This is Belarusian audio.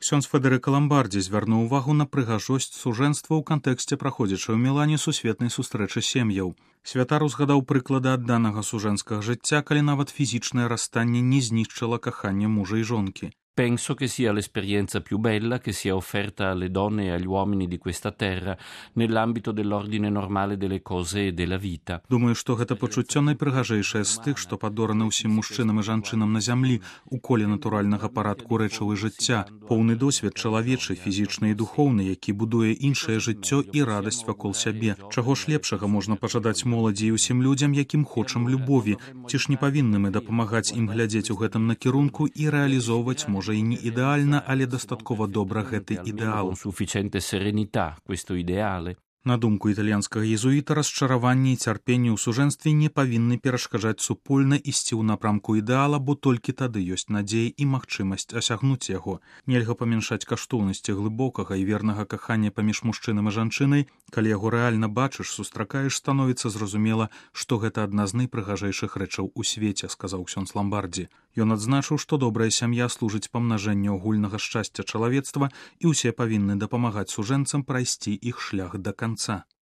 Ксёндз Федэрыка Ламбардзі звярнуў увагу на прыгажосць сужэнства ў кантэксце праходзячай у Мілане сусветнай сустрэчы сем'яў. Святар узгадаў прыклады адданага сужэнскага жыцця, калі нават фізічнае расстанне не знішчыла каханне мужа і жонкі. Penso che sia l'esperienza più bella che sia offerta alle donne e agli uomini di questa terra nell'ambito dell'ordine normale delle cose e della vita. Думаю, што гэта пачуццё найпрыгажэйшае з тых, што падораны ўсім мужчынам і жанчынам на зямлі у коле натуральнага парадку рэчаў і жыцця. Поўны досвед чалавечы, фізічны і духоўны, які будуе іншае жыццё і радасць вакол сябе. Чаго ж лепшага можна пажадаць моладзі і ўсім людзям, якім хочам любові? Ці ж не павінны мы дапамагаць ім глядзець у гэтым накірунку і рэалізоўваць можа і не ідэальна, але дастаткова добра гэты ідэал. Sufficiente serenità, questo ideale. На думку італьянскага езуіта, расчараванне і цярпенне ў сужэнстве не павінны перашкаджаць супольна ісці ў напрамку ідэала, бо толькі тады ёсць надзея і магчымасць асягнуць яго. Нельга памяншаць каштоўнасці глыбокага і вернага кахання паміж мужчынам і жанчынай. Калі яго рэальна бачыш, сустракаеш, становіцца зразумела, што гэта адна з найпрыгажэйшых рэчаў у свеце, сказаў ксёндз Ламбардзі. Ён адзначыў, што добрая сям'я служыць памнажэнню агульнага шчасця чалавецтва і ўсе павінны дапамагаць сужэнцам прайсці іх шлях да канца.